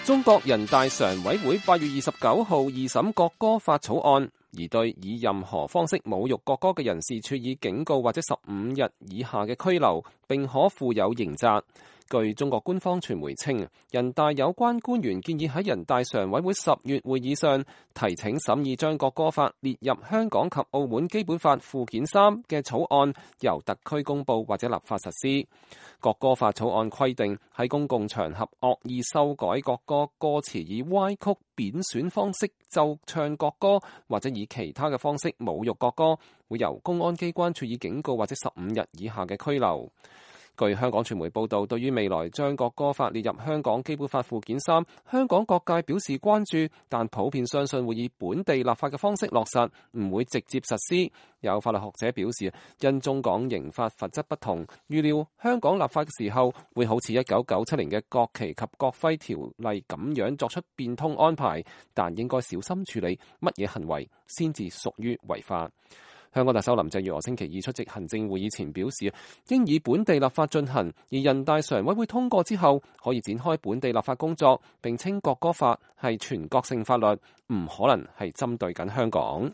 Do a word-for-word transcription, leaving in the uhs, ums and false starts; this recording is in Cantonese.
中國人大常委會八月二十九號二審國歌法草案，而對以任何方式侮辱國歌嘅人士處以警告或者十五日以下嘅拘留，並可附有刑責。據中國官方傳媒稱，人大有關官員建議喺人大常委會十月會議上提請審議將國歌法列入香港及澳門基本法附件三嘅草案，由特區公佈或者立法實施。國歌法草案規定，喺公共場合惡意修改國歌歌詞，以歪曲、貶損方式奏唱國歌，或者以其他嘅方式侮辱國歌，會由公安機關處以警告或者十五日以下嘅拘留。據香港傳媒報道，對於未來將國歌法列入香港基本法附件三，香港各界表示關注，但普遍相信會以本地立法嘅方式落實，唔會直接實施。有法律學者表示，因中港刑法罰則不同，預料香港立法嘅時候會好似一九九七年嘅國旗及國徽條例咁樣作出變通安排，但應該小心處理乜嘢行為先至屬於違法。香港特首林鄭月娥星期二出席行政會議前表示，應以本地立法進行，而人大常委會通過之後，可以展開本地立法工作，並稱國歌法係全國性法律，唔可能係針對緊香港。